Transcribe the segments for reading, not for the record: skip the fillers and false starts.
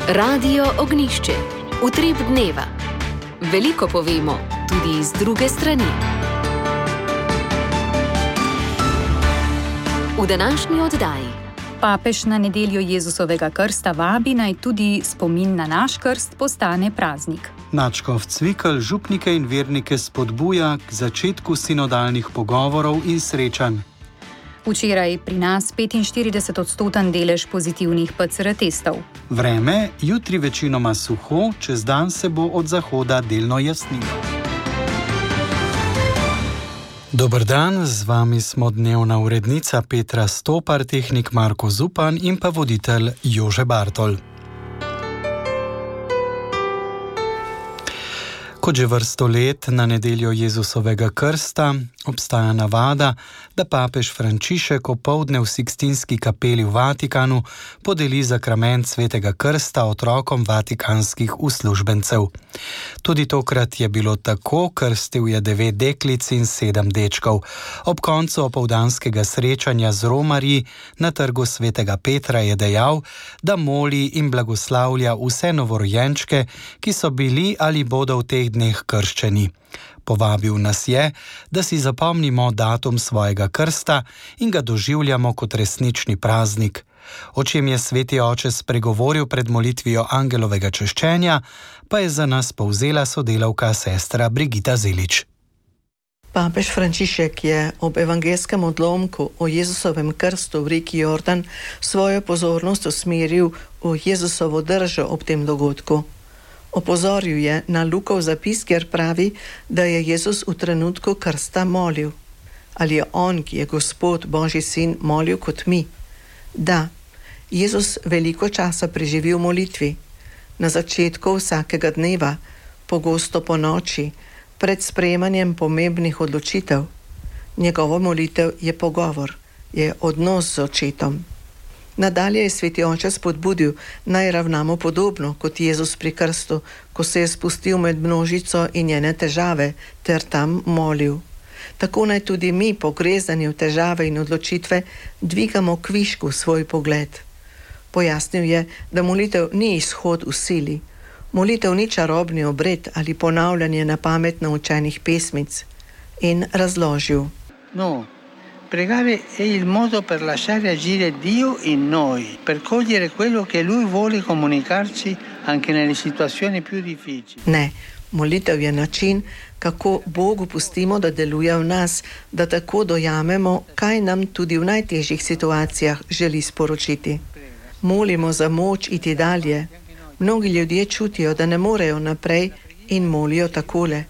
Radio Ognišče, utrip dneva. Veliko povemo, tudi iz druge strani. V današnji oddaji. Papež na nedeljo Jezusovega krsta vabi, naj tudi spomin na naš krst postane praznik. Nadškof Cvikl župnike in vernike spodbuja k začetku sinodalnih pogovorov in srečanj. Včeraj pri nas 45% delež pozitivnih PCR testov. Vreme, jutri večinoma suho, čez dan se bo od zahoda delno jasnilo. Dober dan, z vami smo dnevna urednica Petra Stopar, tehnik Marko Zupan in pa voditelj Jože Bartol. Kot že vrsto let na nedeljo Jezusovega krsta obstaja navada, da papež Frančišek opoldne v Sikstinski kapeli v Vatikanu podeli sakrament svetega krsta otrokom vatikanskih uslužbencev. Tudi tokrat je bilo tako, krstil je 9 deklic in 7 dečkov. Ob koncu opoldanskega srečanja z romarji na trgu svetega Petra je dejal, da moli in blagoslavlja vse novorojenčke, ki so bili ali bodo v teh dneh krščeni. Povabil nas je, da si zapomnimo datum svojega krsta in ga doživljamo kot resnični praznik. O čem je sveti oče spregovoril pred molitvijo angelovega češčenja, pa je za nas povzela sodelavka sestra Brigita Zelič. Papež Frančišek je ob evangelskem odlomku o Jezusovem krstu v reki Jordan svojo pozornost usmeril v Jezusovo držo ob tem dogodku. Opozoril je na Lukov zapis, kjer pravi, da je Jezus v trenutku krsta molil. Ali je on, ki je Gospod, Božji sin, molil kot mi? Da, Jezus veliko časa preživi v molitvi. Na začetku vsakega dneva, pogosto po noči, pred sprejemanjem pomembnih odločitev. Njegova molitev je pogovor, je odnos z očetom. Nadalje je sveti oče spodbudil, naj ravnamo podobno kot Jezus pri krstu, ko se je spustil med množico in njene težave, ter tam molil. Tako naj tudi mi, pogrezani v težave in odločitve, dvigamo kvišku svoj pogled. Pojasnil je, da molitev ni izhod v sili. Molitev ni čarobni obred ali ponavljanje na pamet naučenih pesmic. In razložil. No. Pregare è il modo per lasciare agire Dio in noi, per cogliere quello che Lui vuole comunicarci anche nelle situazioni più difficili. Ne, molitev je način, kako Bogu pustimo, da deluje v nas, da tako dojamemo, kaj nam tudi v najtežjih situacijah želi sporočiti. Molimo za moč iti dalje. Mnogi ljudje čutijo, da ne morejo naprej in molijo takole.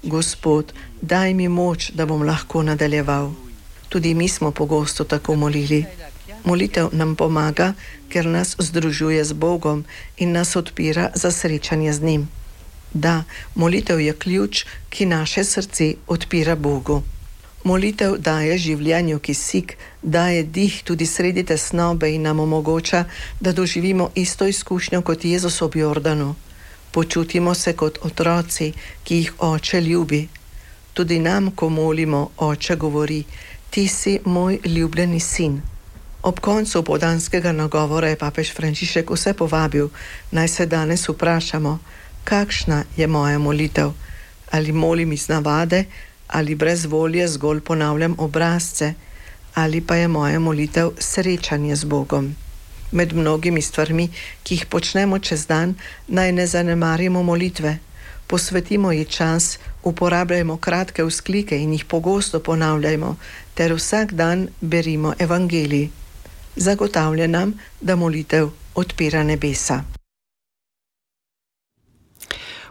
Gospod, daj mi moč, da bom lahko nadaljeval. Tudi mi smo pogosto tako molili. Molitev nam pomaga, ker nas združuje z Bogom in nas odpira za srečanje z njim. Da, molitev je ključ, ki naše srce odpira Bogu. Molitev daje življenju kisik, daje dih tudi sredi tesnobe in nam omogoča, da doživimo isto izkušnjo kot Jezus ob Jordanu. Počutimo se kot otroci, ki jih oče ljubi. Tudi nam, ko molimo, oče govori: Ti si moj ljubljeni sin. Ob koncu opoldanskega nagovora je papež Frančišek vse povabil, naj se danes vprašamo, kakšna je moja molitev. Ali molim iz navade, ali brez volje zgolj ponavljam obrazce, ali pa je moja molitev srečanje z Bogom. Med mnogimi stvarmi, ki jih počnemo čez dan, naj ne zanemarimo molitve. Posvetimo ji čas, uporabljajmo kratke vzklike in jih pogosto ponavljajmo, ter vsak dan berimo evangelij. Zagotavlja nam, da molitev odpira nebesa.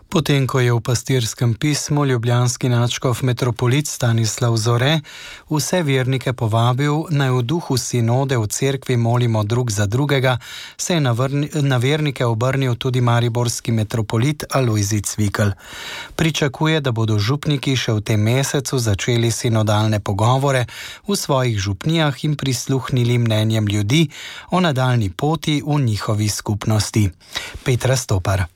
Potem, ko je v pastirskem pismu ljubljanski nadškof metropolit Stanislav Zore vse vernike povabil, naj v duhu sinode v cerkvi molimo drug za drugega, se je na vernike obrnil tudi mariborski metropolit Alojzij Cvikl. Pričakuje, da bodo župniki še v tem mesecu začeli sinodalne pogovore v svojih župnijah in prisluhnili mnenjem ljudi o nadaljni poti v njihovi skupnosti. Petra Stopar.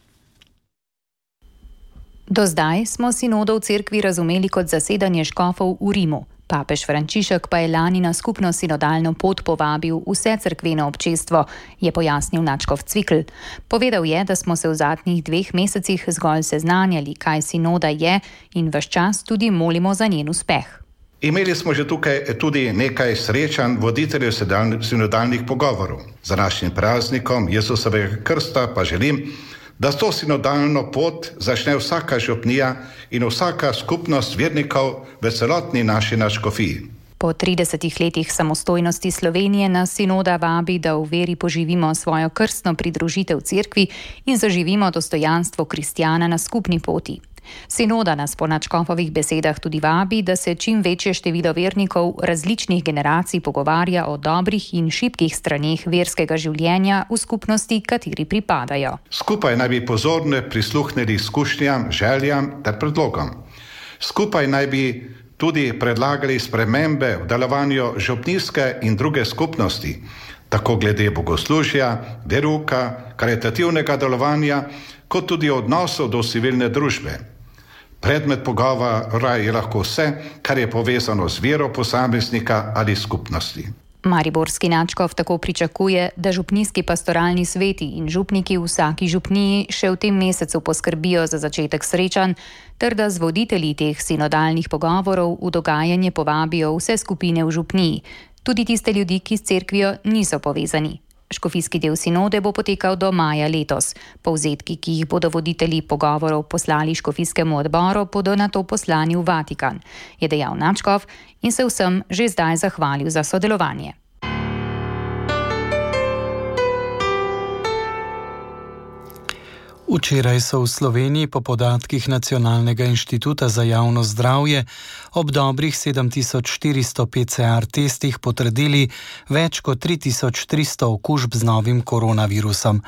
Do zdaj smo sinodo v cerkvi razumeli kot zasedanje škofov v Rimu. Papež Frančišek pa je lani na skupno sinodalno pot povabil vse cerkveno občestvo, je pojasnil nadškof Cvikl. Povedal je, da smo se v zadnjih 2 mesecih zgolj seznanjali, kaj sinoda je in ves čas tudi molimo za njen uspeh. Imeli smo že tukaj tudi nekaj srečanj voditeljev sinodalnih pogovorov. Za našim praznikom Jezusovega krsta pa želim, da to sinodalno pot začne vsaka župnija in vsaka skupnost vernikov v celotni naši nadškofiji. Po 30 letih samostojnosti Slovenije nas sinoda vabi, da v veri poživimo svojo krstno pridružitev cerkvi in zaživimo dostojanstvo kristjana na skupni poti. Sinoda nas po nadškofovih besedah tudi vabi, da se čim večje število vernikov različnih generacij pogovarja o dobrih in šibkih straneh verskega življenja v skupnosti, kateri pripadajo. Skupaj naj bi pozorno prisluhnili izkušnjam, željam ter predlogom. Skupaj naj bi tudi predlagali spremembe v delovanju župnijske in druge skupnosti, tako glede bogoslužja, veruka, karitativnega delovanja, kot tudi odnosov do civilne družbe. Predmet pogovora je lahko vse, kar je povezano z vero posameznika ali skupnosti. Mariborski nadškof tako pričakuje, da župnijski pastoralni sveti in župniki v vsaki župniji še v tem mesecu poskrbijo za začetek srečanj, ter da z voditelji teh sinodalnih pogovorov v dogajanje povabijo vse skupine v župniji, tudi tiste ljudi, ki s cerkvijo niso povezani. Škofijski del sinode bo potekal do maja letos. Povzetki, ki jih bodo voditelji pogovorov poslali škofijskemu odboru, bodo nato poslani v Vatikan, je dejal nadškof in se vsem že zdaj zahvalil za sodelovanje. Včeraj so v Sloveniji po podatkih Nacionalnega inštituta za javno zdravje ob dobrih 7400 PCR testih potrdili več kot 3300 okužb z novim koronavirusom.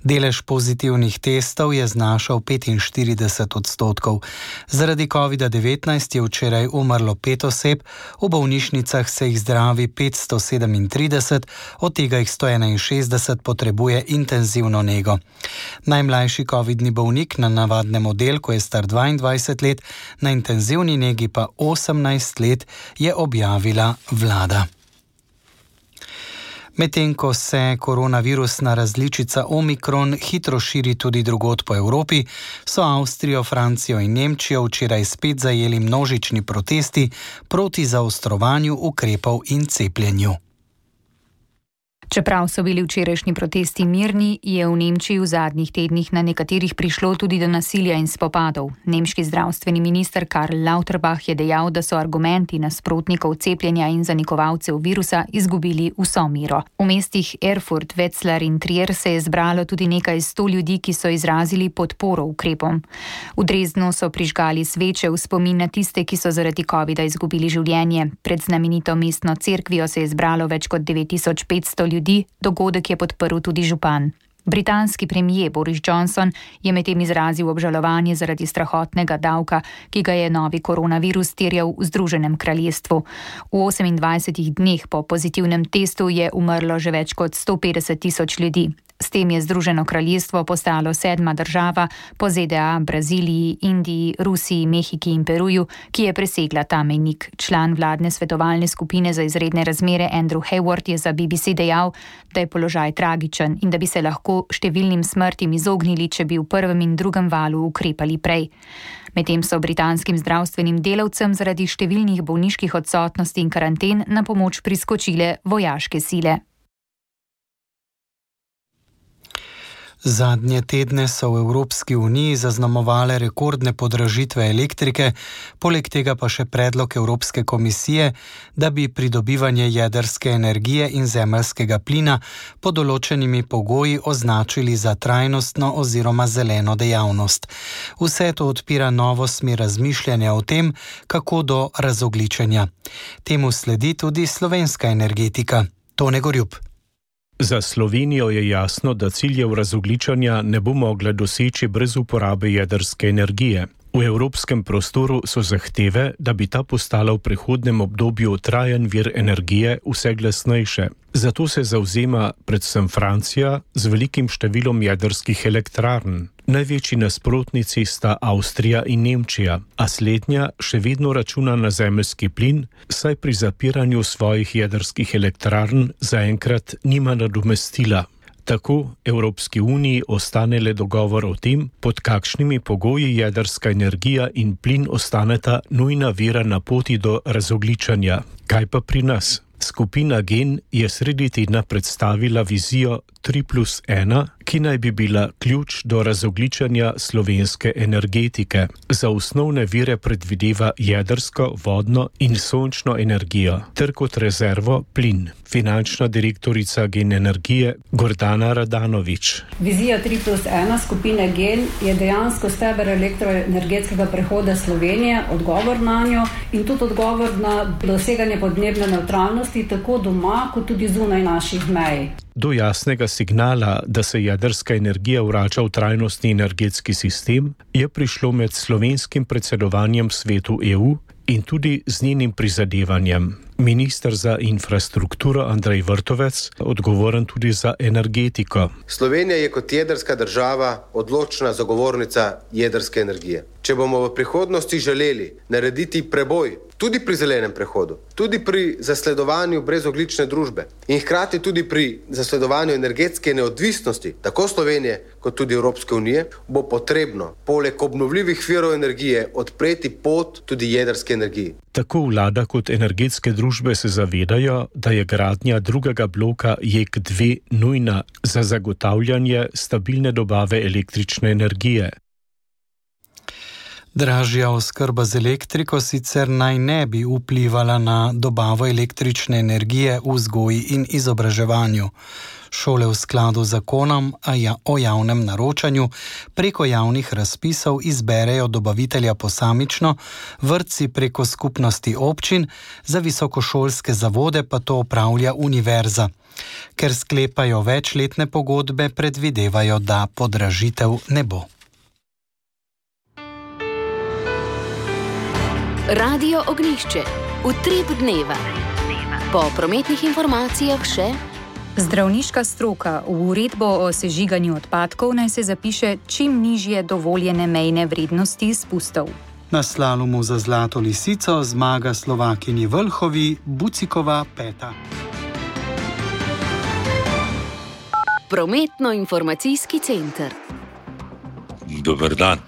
Delež pozitivnih testov je znašal 45%. Zaradi COVID-19 je včeraj umrlo 5 oseb, v bolnišnicah se jih zdravi 537, od tega jih 161 potrebuje intenzivno nego. Najmlajši covidni bolnik na navadnem oddelku je star 22 let, na intenzivni negi pa 18 let, je objavila vlada. Medtem ko se koronavirusna različica Omikron hitro širi tudi drugod po Evropi, so Avstrijo, Francijo in Nemčijo včeraj spet zajeli množični protesti proti zaostrovanju ukrepov in cepljenju. Čeprav so bili včerajšnji protesti mirni, je v Nemčiji v zadnjih tednih na nekaterih prišlo tudi do nasilja in spopadov. Nemški zdravstveni minister Karl Lauterbach je dejal, da so argumenti nasprotnikov cepljenja in zanikovalcev virusa izgubili vso mero. V mestih Erfurt, Wetzlar in Trier se je zbralo tudi nekaj 100 ljudi, ki so izrazili podporo ukrepom. V Dresdnu so prižgali sveče v spomin na tiste, ki so zaradi covida izgubili življenje. Pred znamenito mestno cerkvijo se je zbralo več kot 9500 ljudi. Dogodek je podprl tudi župan. Britanski premier Boris Johnson je medtem izrazil obžalovanje zaradi strahotnega davka, ki ga je novi koronavirus terjal v Združenem kraljestvu. V 28 dneh po pozitivnem testu je umrlo že več kot 150 000 ljudi. S tem je Združeno kraljestvo postalo 7. država po ZDA, Braziliji, Indiji, Rusiji, Mehiki in Peruju, ki je presegla ta mejnik. Član vladne svetovalne skupine za izredne razmere Andrew Hayward je za BBC dejal, da je položaj tragičen in da bi se lahko številnim smrtim izognili, če bi v prvem in drugem valu ukrepali prej. Medtem so britanskim zdravstvenim delavcem zaradi številnih bolniških odsotnosti in karanten na pomoč priskočile vojaške sile. Zadnje tedne so v Evropski uniji zaznamovale rekordne podražitve elektrike, poleg tega pa še predlog Evropske komisije, da bi pridobivanje jedrske energije in zemeljskega plina pod določenimi pogoji označili za trajnostno oziroma zeleno dejavnost. Vse to odpira novo smer razmišljanja o tem, kako do razogljičenja. Temu sledi tudi slovenska energetika. Tone Gorjup. Za Slovenijo je jasno, da ciljev razogljičanja ne bo mogla doseči brez uporabe jedrske energije. V evropskem prostoru so zahteve, da bi ta postala v prihodnem obdobju trajen vir energije, vse glasnejše. Zato se zavzema predvsem Francija z velikim številom jedrskih elektrarn. Največji nasprotnici sta Avstrija in Nemčija, a slednja še vedno računa na zemeljski plin, saj pri zapiranju svojih jedrskih elektrarn zaenkrat nima nadomestila. Tako Evropski uniji ostane le dogovor o tem, pod kakšnimi pogoji jedrska energija in plin ostaneta nujna vira na poti do razogljičanja. Kaj pa pri nas? Skupina Gen je sredi tedna predstavila vizijo 3+1, ki naj bi bila ključ do razogljičanja slovenske energetike. Za osnovne vire predvideva jedrsko, vodno in sončno energijo, ter kot rezervo plin. Finančna direktorica Gen Energije Gordana Radanovič. Vizija 3+1 skupine Gen je dejansko steber elektroenergetskega prehoda Slovenije, odgovor na njo in tudi odgovor na doseganje podnebne nevtralnosti tako doma, kot tudi zunaj naših mej. Do jasnega signala, da se jedrska energija vrača v trajnostni energetski sistem, je prišlo med slovenskim predsedovanjem Svetu EU in tudi z njenim prizadevanjem. Minister za infrastrukturo Andrej Vrtovec, odgovoren tudi za energetiko. Slovenija je kot jedrska država odločna zagovornica jedrske energije. Če bomo v prihodnosti želeli narediti preboj, tudi pri zelenem prehodu, tudi pri zasledovanju brezogljične družbe in hkrati tudi pri zasledovanju energetske neodvisnosti, tako Slovenije kot tudi Evropske unije, bo potrebno poleg obnovljivih virov energije odpreti pot tudi jedrske energiji. Tako vlada kot energetske družbe se zavedajo, da je gradnja drugega bloka JEK2 nujna za zagotavljanje stabilne dobave električne energije. Dražja oskrba z elektriko sicer naj ne bi vplivala na dobavo električne energije v vzgoji in izobraževanju. Šole v skladu z zakonom o javnem naročanju preko javnih razpisov izberejo dobavitelja posamično, vrtci preko skupnosti občin, za visokošolske zavode pa to opravlja univerza. Ker sklepajo večletne pogodbe, predvidevajo, da podražitev ne bo. Radio Ognjišče. Utrip dneva. Po prometnih informacijah še: zdravniška stroka v uredbo o sežiganju odpadkov naj se zapiše čim nižje dovoljene mejne vrednosti izpustov. Na slalomu za Zlato lisico zmaga Slovakinji Vlhovi Bucikova 5. Prometno-informacijski center. Dober dan.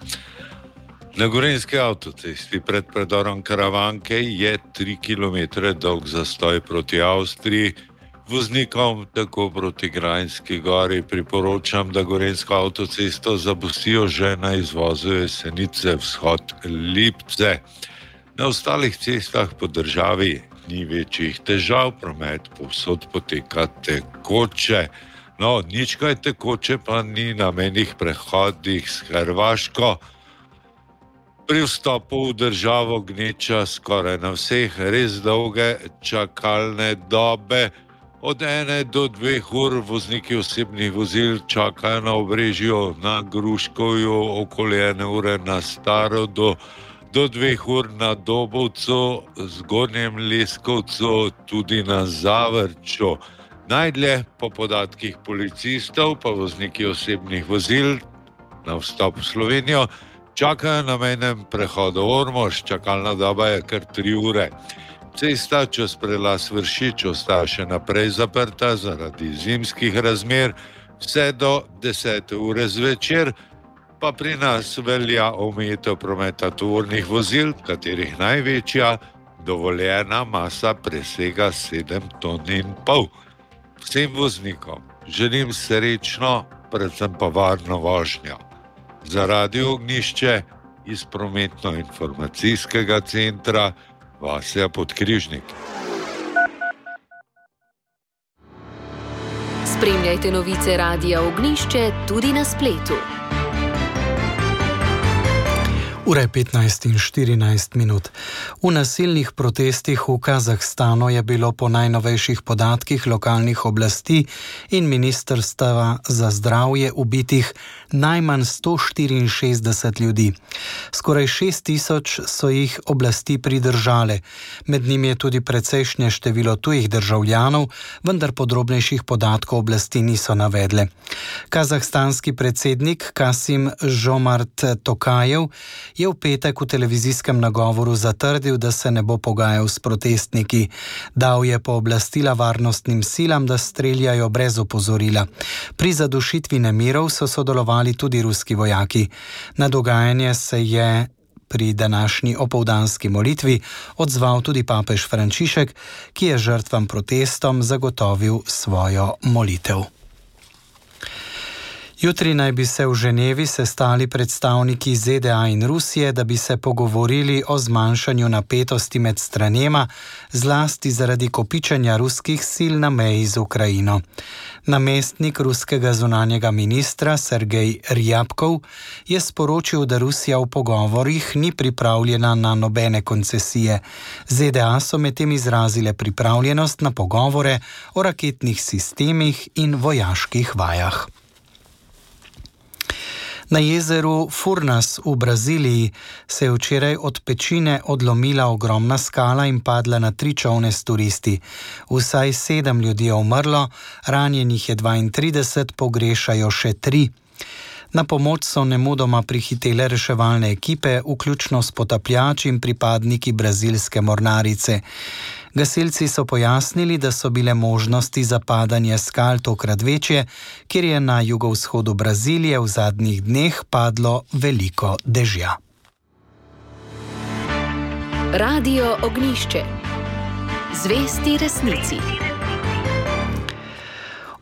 Na gorenjski avtocesti pred predorom Karavanke je 3 km dolg zastoj proti Avstriji. Voznikom tako proti Grajnski gori priporočam, da gorenjsko avtocesto zapustijo že na izvozu Jesenice vzhod Lipce. Na ostalih cestah po državi ni večjih težav, promet povsod poteka tekoče. No, nič kaj tekoče pa ni na mejnih prehodih s Hrvaško. Pri vstopu v državo gneča skoraj na vseh res dolge čakalne dobe. Od 1 do 2 ur vozniki osebnih vozil čakajo na Obrežju, na Gruškovju, okoli 1 ure na Starodu, do 2 ur na Dobovcu, Zgornjem Leskovcu, tudi na Zavrču. Najdlje po podatkih policistov pa vozniki osebnih vozil na vstop v Slovenijo čakajo na mejnem prehodu Ormož, čakalna doba je kar 3 ure. Cesta čez prelaz Vršič ostaja še naprej zaprta zaradi zimskih razmer, vse do 10 ure zvečer, pa pri nas velja omejitev prometa tovornih vozil, katerih največja dovoljena masa presega 7,5 ton. Vsem voznikom želim srečno, predvsem pa varno vožnjo. Za Radio Ognjišče iz prometno-informacijskega centra Vasja Podkrižnik. Spremljajte novice Radia Ognjišče tudi na spletu. Ura je 15:14. V nasilnih protestih v Kazahstanu je bilo po najnovejših podatkih lokalnih oblasti in ministrstva za zdravje ubitih najmanj 164 ljudi. Skoraj 6.000 so jih oblasti pridržale. Med njimi je tudi precejšnje število tujih državljanov, vendar podrobnejših podatkov oblasti niso navedle. Kazahstanski predsednik Kasim-Žomart Tokajev je v petek v televizijskem nagovoru zatrdil, da se ne bo pogajal s protestniki. Dal je pooblastila varnostnim silam, da streljajo brez opozorila. Pri zadušitvi nemirov so sodelovali tudi ruski vojaki. Na dogajanje se je pri današnji opoldanski molitvi odzval tudi papež Frančišek, ki je žrtvam protestom zagotovil svojo molitev. Jutri naj bi se v Ženevi sestali predstavniki ZDA in Rusije, da bi se pogovorili o zmanjšanju napetosti med stranema, zlasti zaradi kopičenja ruskih sil na meji z Ukrajino. Namestnik ruskega zunanjega ministra Sergej Rjabkov je sporočil, da Rusija v pogovorih ni pripravljena na nobene koncesije. ZDA so medtem izrazile pripravljenost na pogovore o raketnih sistemih in vojaških vajah. Na jezeru Furnas v Braziliji se je včeraj od pečine odlomila ogromna skala in padla na 3 čolne s turisti. Vsaj 7 ljudi je umrlo, ranjenih je 32, pogrešajo še 3. Na pomoč so nemudoma prihitele reševalne ekipe, vključno s potapljači in pripadniki brazilske mornarice. Gasilci so pojasnili, da so bile možnosti za padanje skal tokrat večje, ker je na jugovzhodu Brazilije v zadnjih dneh padlo veliko dežja. Radio Ognjišče. Zvesti resnici.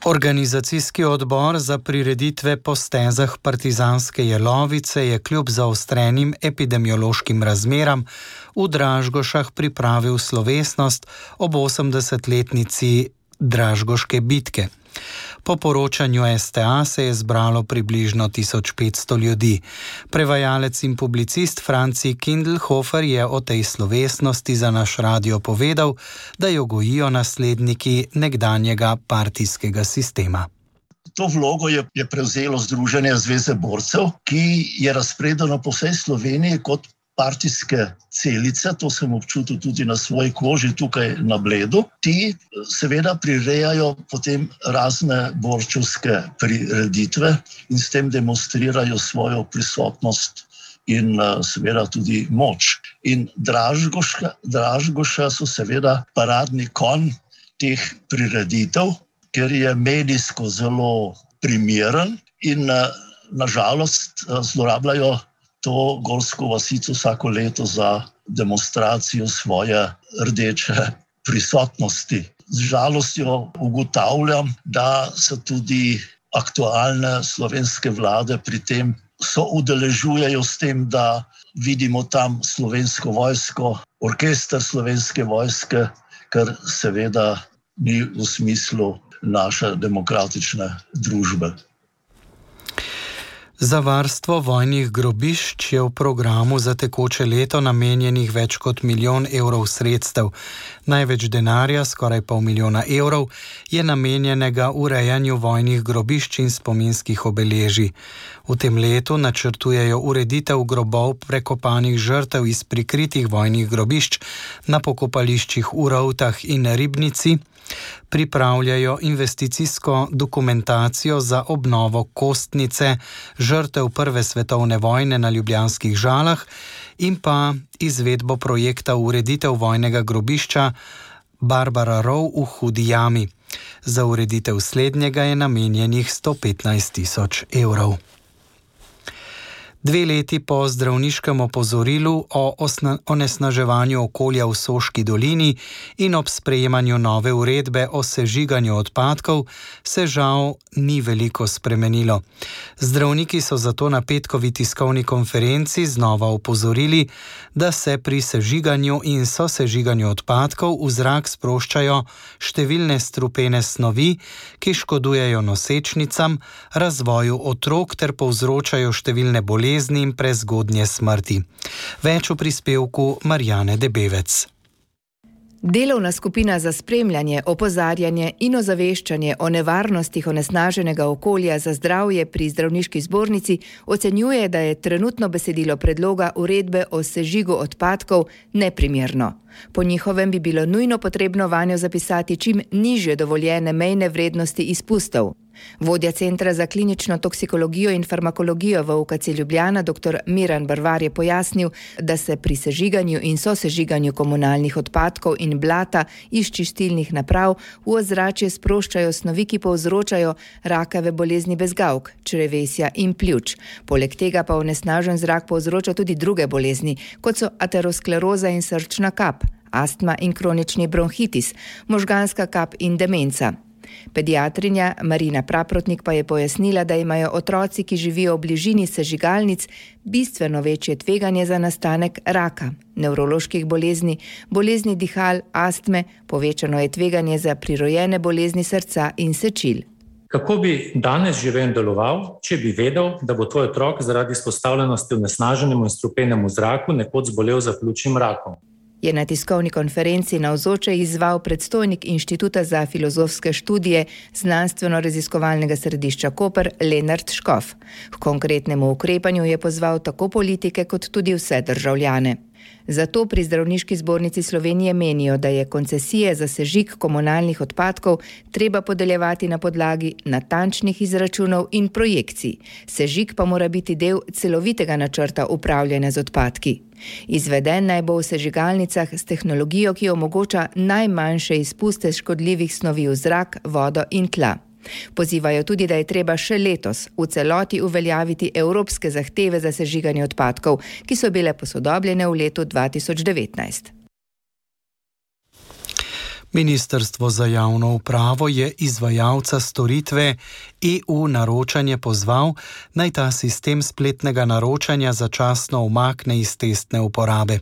Organizacijski odbor za prireditve po stezah partizanske jelovice je kljub zaostrenim epidemiološkim razmeram v Dražgošah pripravil slovesnost ob 80-letnici Dražgoške bitke. Po poročanju STA se je zbralo približno 1500 ljudi. Prevajalec in publicist Franci Kindelhofer je o tej slovesnosti za naš radio povedal, da jo gojijo nasledniki nekdanjega partijskega sistema. To vlogo je prevzelo Združenje zveze borcev, ki je razpredeno po vsej Sloveniji kot partijske celice, to sem občutil tudi na svoji koži tukaj na Bledu. Ti seveda prirejajo potem razne borčevske prireditve in s tem demonstrirajo svojo prisotnost in seveda tudi moč. In Dražgoša so seveda paradni konj teh prireditev, ker je medijsko zelo primeren in nažalost zlorabljajo to gorsko vasico vsako leto za demonstracijo svoje rdeče prisotnosti. Z žalostjo ugotavljam, da se tudi aktualne slovenske vlade pri tem soudeležujejo s tem, da vidimo tam slovensko vojsko, orkester slovenske vojske, kar seveda ni v smislu naše demokratične družbe. Za varstvo vojnih grobišč je v programu za tekoče leto namenjenih več kot 1 milijon evrov sredstev. Največ denarja, skoraj 500 000 evrov, je namenjenega urejanju vojnih grobišč in spominskih obeležij. V tem letu načrtujejo ureditev grobov prekopanih žrtev iz prikritih vojnih grobišč na pokopališčih v Rovtah in Ribnici, pripravljajo investicijsko dokumentacijo za obnovo kostnice žrtev Prve svetovne vojne na Ljubljanskih Žalah in pa izvedbo projekta ureditev vojnega grobišča Barbara Rov v Hudi Jami. Za ureditev slednjega je namenjenih 115 000 evrov. 2 leti po zdravniškem opozorilu o onesnaževanju okolja v Soški dolini in ob sprejemanju nove uredbe o sežiganju odpadkov se žal ni veliko spremenilo. Zdravniki so zato na petkovi tiskovni konferenci znova opozorili, da se pri sežiganju in sosežiganju odpadkov v zrak sproščajo številne strupene snovi, ki škodujejo nosečnicam, razvoju otrok ter povzročajo številne bolezni bolezni in prezgodnje smrti. Več v prispevku Marjane Debevec. Delovna skupina za spremljanje, opozarjanje in ozaveščanje o nevarnostih onesnaženega okolja za zdravje pri zdravniški zbornici ocenjuje, da je trenutno besedilo predloga uredbe o sežigu odpadkov neprimerno. Po njihovem bi bilo nujno potrebno vanjo zapisati čim nižje dovoljene mejne vrednosti izpustov. Vodja Centra za klinično toksikologijo in farmakologijo v UKC Ljubljana dr. Miran Brvar je pojasnil, da se pri sežiganju in sosežiganju komunalnih odpadkov in blata iz čistilnih naprav v ozračje sproščajo snovi, ki povzročajo rakave bolezni bezgavk, črevesja in pljuč. Poleg tega pa onesnažen zrak povzroča tudi druge bolezni, kot so ateroskleroza in srčna kap, astma in kronični bronhitis, možganska kap in demenca. Pediatrinja Marina Praprotnik pa je pojasnila, da imajo otroci, ki živijo v bližini sežigalnic, bistveno večje tveganje za nastanek raka, nevroloških bolezni, bolezni dihal, astme, povečano je tveganje za prirojene bolezni srca in sečil. Kako bi danes živel in deloval, če bi vedel, da bo tvoj otrok zaradi izpostavljenosti onesnaženemu in strupenemu zraku nekoč zbolel za pljučnim rakom? Je na tiskovni konferenci navzoče izzval predstojnik Inštituta za filozofske študije Znanstveno-raziskovalnega središča Koper Lenart Škof. K konkretnemu ukrepanju je pozval tako politike kot tudi vse državljane. Zato pri Zdravniški zbornici Slovenije menijo, da je koncesije za sežig komunalnih odpadkov treba podeljevati na podlagi natančnih izračunov in projekcij. Sežig pa mora biti del celovitega načrta upravljanja z odpadki. Izveden naj bo v sežigalnicah s tehnologijo, ki omogoča najmanjše izpuste škodljivih snovi v zrak, vodo in tla. Pozivajo tudi, da je treba še letos v celoti uveljaviti evropske zahteve za sežiganje odpadkov, ki so bile posodobljene v letu 2019. Ministrstvo za javno upravo je izvajalca storitve EU naročanje pozval, naj ta sistem spletnega naročanja začasno umakne iz testne uporabe.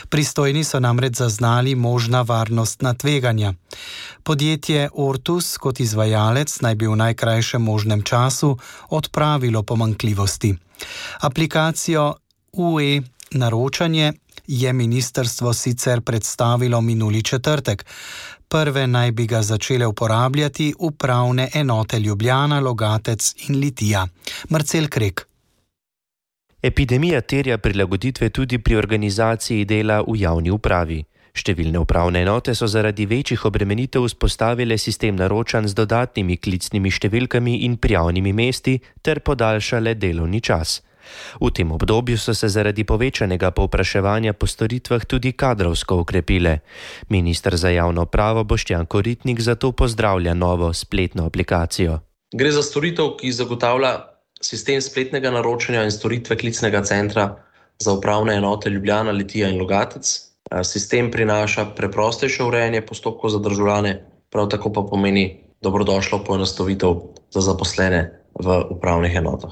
Pristojni so namreč zaznali možna varnostna tveganja. Podjetje Ortus kot izvajalec naj bi v najkrajšem možnem času odpravilo pomanjkljivosti. Aplikacijo UE naročanje je ministrstvo sicer predstavilo minuli četrtek. Prve naj bi ga začele uporabljati upravne enote Ljubljana, Logatec in Litija. Marcel Krek. Epidemija terja prilagoditve tudi pri organizaciji dela v javni upravi. Številne upravne enote so zaradi večjih obremenitev vzpostavile sistem naročanj z dodatnimi klicnimi številkami in prijavnimi mesti ter podaljšale delovni čas. V tem obdobju so se zaradi povečanega povpraševanja po storitvah tudi kadrovsko okrepile. Minister za javno upravo Boštjan Koritnik zato pozdravlja novo spletno aplikacijo. Gre za storitev, ki zagotavlja sistem spletnega naročanja in storitve klicnega centra za upravne enote Ljubljana, Litija in Logatec. Sistem prinaša preprostejše urejanje postopkov za državljane, prav tako pa pomeni dobrodošlo poenostavitev za zaposlene v upravnih enotah.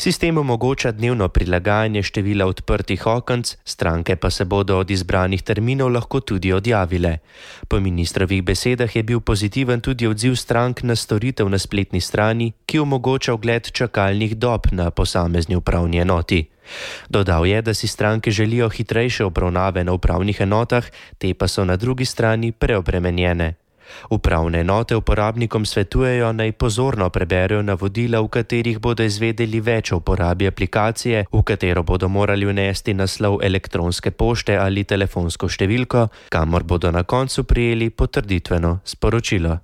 Sistem omogoča dnevno prilagajanje števila odprtih okenc, stranke pa se bodo od izbranih terminov lahko tudi odjavile. Po ministrovih besedah je bil pozitiven tudi odziv strank na storitev na spletni strani, ki omogoča ogled čakalnih dob na posamezni upravni enoti. Dodal je, da si stranke želijo hitrejše obravnave na upravnih enotah, te pa so na drugi strani preobremenjene. Upravne enote uporabnikom svetujejo, naj pozorno preberejo navodila, v katerih bodo izvedeli več o uporabi aplikacije, v katero bodo morali vnesti naslov elektronske pošte ali telefonsko številko, kamor bodo na koncu prejeli potrditveno sporočilo.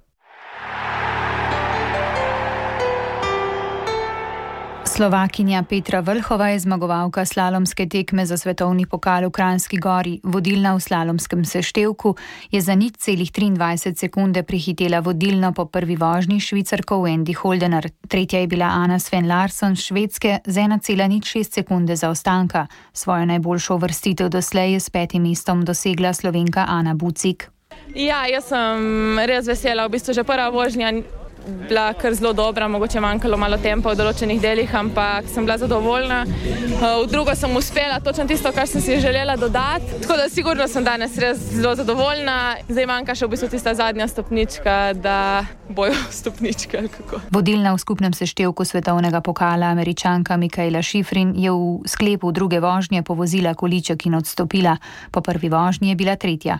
Slovakinja Petra Vlhova je zmagovalka slalomske tekme za svetovni pokal v Kranjski Gori. Vodilna v slalomskem seštevku je za 0,23 sekunde prehitela vodilno po prvi vožnji Švicarko Wendy Holdener. Tretja je bila Anna Sven Larsson Švedske z 1,06 sekunde zaostanka. Svojo najboljšo uvrstitev doslej je s 5. mestom dosegla Slovenka Ana Bucik. Ja, jaz sem res vesela. V bistvu že prva vožnja bila kar zelo dobra, mogoče manjkalo malo tempa v določenih delih, ampak sem bila zadovoljna. V drugo sem uspela točno tisto, kar sem si želela dodati, tako da sigurno sem danes res zelo zadovoljna. Zdaj manjka še v bistvu tista zadnja stopnička, da bojo stopničke ali kako. Vodilna v skupnem seštevku svetovnega pokala Američanka Mikaela Shiffrin je v sklepu druge vožnje povozila količek in odstopila. Po prvi vožnji je bila tretja.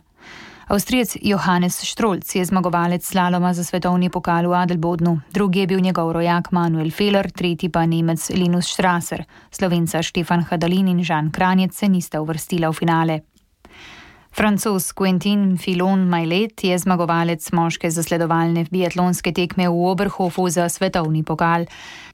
Avstrijec Johannes Strolc je zmagovalec slaloma za svetovni pokal v Adelbodnu. Drugi je bil njegov rojak Manuel Feller, tretji pa Nemec Linus Strasser. Slovenca Štefan Hadalin in Žan Kranjec se nista uvrstila v finale. Francoz Quentin Fillon-Maillet je zmagovalec moške zasledovalne biatlonske tekme v Oberhofu za svetovni pokal.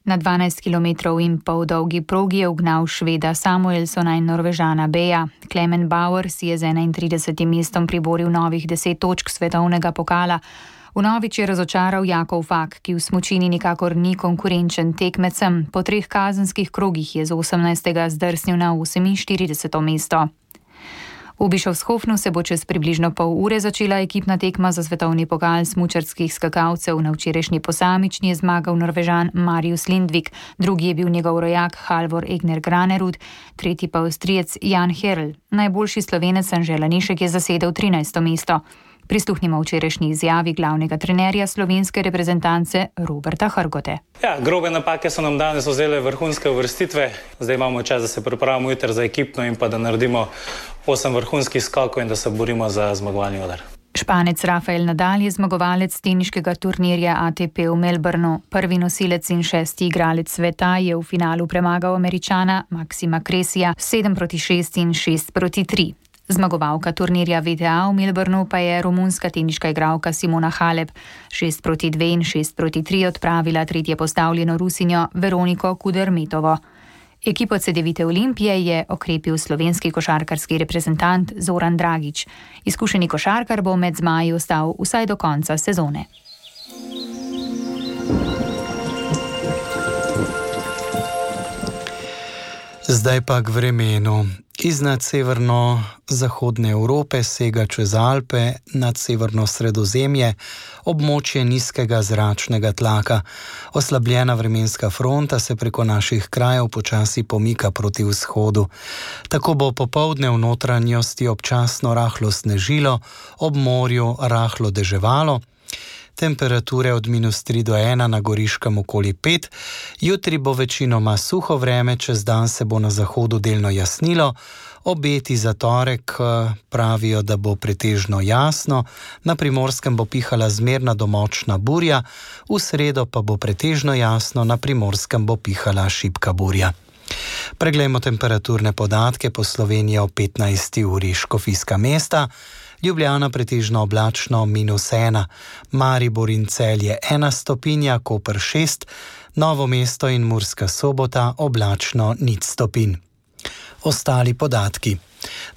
Na 12 km in pol dolgi progi je ugnal Šveda Samuelsona in Norvežana Beja. Clement Bauer si je z 31. mestom priboril novih 10 točk svetovnega pokala. Vnovič je razočaral Jakov Fak, ki v smučini nikakor ni konkurenčen tekmecem. Po 3 kazenskih krogih je z 18. zdrsnil na 48. mesto. V Bischofshofnu se bo čez približno pol ure začela ekipna tekma za svetovni pokal smučarskih skakalcev. Na včerajšnji posamični je zmagal Norvežan Marius Lindvik, drugi je bil njegov rojak Halvor Egner Granerud, tretji pa Avstrijec Jan Herl. Najboljši Slovenec Anže Lanišek je zasedel 13. mesto. Prisluhnimo včerajšnji izjavi glavnega trenerja slovenske reprezentance Roberta Hrgote. Grobe napake so nam danes vzele vrhunske uvrstitve. Zdaj imamo čas, da se pripravimo jutri za ekipno in pa da naredimo 8 vrhunskih skokov in da se borimo za zmagovalni odar. Španec Rafael Nadal je zmagovalec teniškega turnirja ATP v Melbourneu. Prvi nosilec in 6. igralec sveta je v finalu premagal Američana Maxima Cressija 7-6 in 6-3. Zmagovalka turnirja VTA v Melbourneu pa je romunska teniška igralka Simona Halep 6-2 in 6-3 odpravila tretje postavljeno Rusinjo Veroniko Kudermetovo. Ekipo Cedevite Olimpije je okrepil slovenski košarkarski reprezentant Zoran Dragić. Izkušeni košarkar bo med zmaji ostal vsaj do konca sezone. Zdaj pa k vremenu. Iznad severno-zahodne Evrope sega čez Alpe nad severno Sredozemlje območje nizkega zračnega tlaka. Oslabljena vremenska fronta se preko naših krajev počasi pomika proti vzhodu. Tako bo popoldne v notranjosti občasno rahlo snežilo, ob morju rahlo deževalo. Temperature od -3 do 1 na Goriškem okoli 5. Jutri bo večinoma suho vreme, čez dan se bo na zahodu delno jasnilo. Obeti za torek pravijo, da bo pretežno jasno, na Primorskem bo pihala zmerna do močna burja, v sredo pa bo pretežno jasno, na Primorskem bo pihala šibka burja. Preglejmo temperaturne podatke po Sloveniji o 15. uri. Škofijska Mesta, Ljubljana pretežno oblačno -1, Maribor in Celje 1 stopinja, Koper 6, Novo mesto in Murska Sobota oblačno 0 stopinj. Ostali podatki.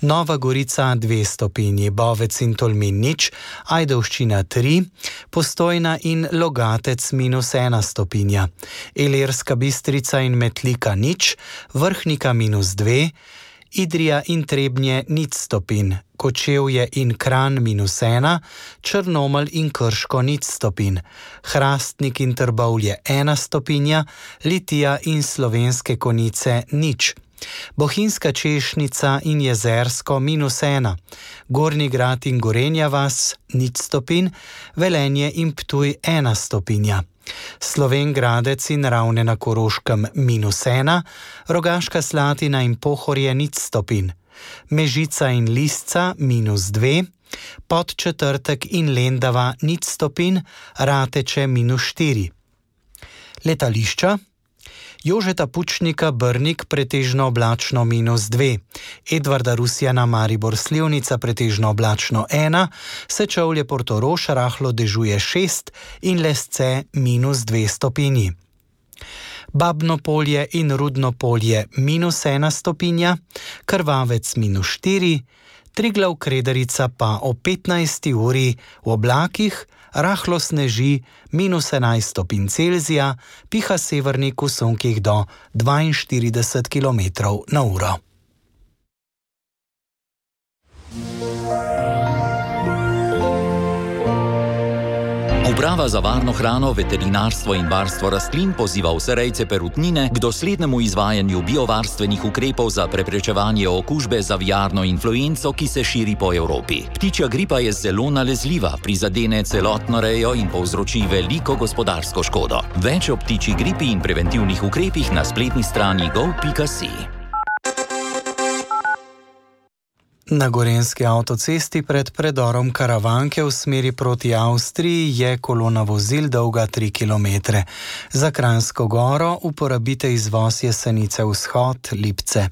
Nova Gorica 2 stopinji, Bovec in Tolmin 0, Ajdovščina 3, Postojna in Logatec -1 stopinja, Ilirska Bistrica in Metlika 0, Vrhnika -2, Idrija in Trebnje 0 stopinj, Kočevje in Kranj -1, Črnomelj in Krško 0 stopinj, Hrastnik in Trbovlje 1 stopinja, Litija in Slovenske Konjice 0, Bohinjska Češnica in Jezersko -1, Gornji Grad in Gorenja vas 0 stopinj, Velenje in Ptuj 1 stopinja, Slovenj Gradec in Ravne na Koroškem -1, Rogaška Slatina in Pohorje 0 stopinj, Mežica in Lisca -2, Podčetrtek in Lendava 0 stopinj, Rateče -4. Letališča. Jožeta Pučnika Brnik pretežno oblačno -2, Edvarda Rusjana Maribor Slivnica pretežno oblačno 1, Sečovlje Portorož rahlo dežuje 6 in Lesce -2 stopinji. Babno Polje in Rudno Polje -1 stopinja, Krvavec -4, Triglav Krederica pa o 15. uri v oblakih rahlo sneži -11 stopinj Celzija, piha severnik v sunkih do 42 km/h. Uprava za varno hrano, veterinarstvo in varstvo rastlin poziva vse rejce perutnine k doslednemu izvajanju biovarstvenih ukrepov za preprečevanje okužbe z aviarno influenco, ki se širi po Evropi. Ptičja gripa je zelo nalezljiva, prizadene celotno rejo in povzroči veliko gospodarsko škodo. Več o ptičji gripi in preventivnih ukrepih na spletni strani gov.si. Na gorenjski avtocesti pred predorom Karavanke v smeri proti Avstriji je kolona vozil dolga 3 km. Za Kranjsko Goro uporabite izvoz Jesenice vzhod Lipce.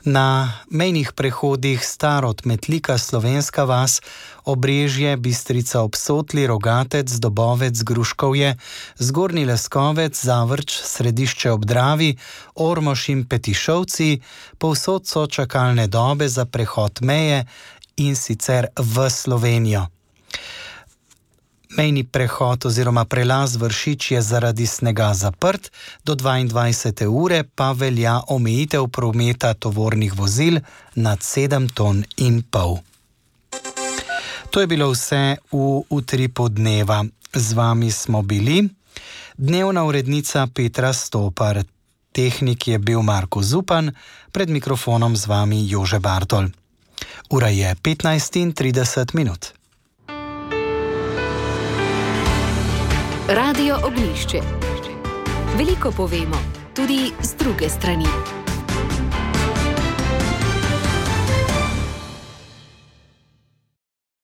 Na mejnih prehodih Starod, Metlika, Slovenska vas, Obrežje, Bistrica ob Sotli, Rogatec, Dobovec, Gruškovje, Zgornji Leskovec, Zavrč, Središče ob Dravi, Ormož in Petišovci, povsod so čakalne dobe za prehod meje in sicer v Slovenijo. Mejni prehod oziroma prelaz Vršič je zaradi snega zaprt, do 22. ure pa velja omejitev prometa tovornih vozil nad 7,5 ton. To je bilo vse v Utripu dneva. Z vami smo bili dnevna urednica Petra Stopar, tehnik je bil Marko Zupan, pred mikrofonom z vami Jože Bartol. Ura je 15:30. Radio Oglišče. Veliko povemo, tudi z druge strani.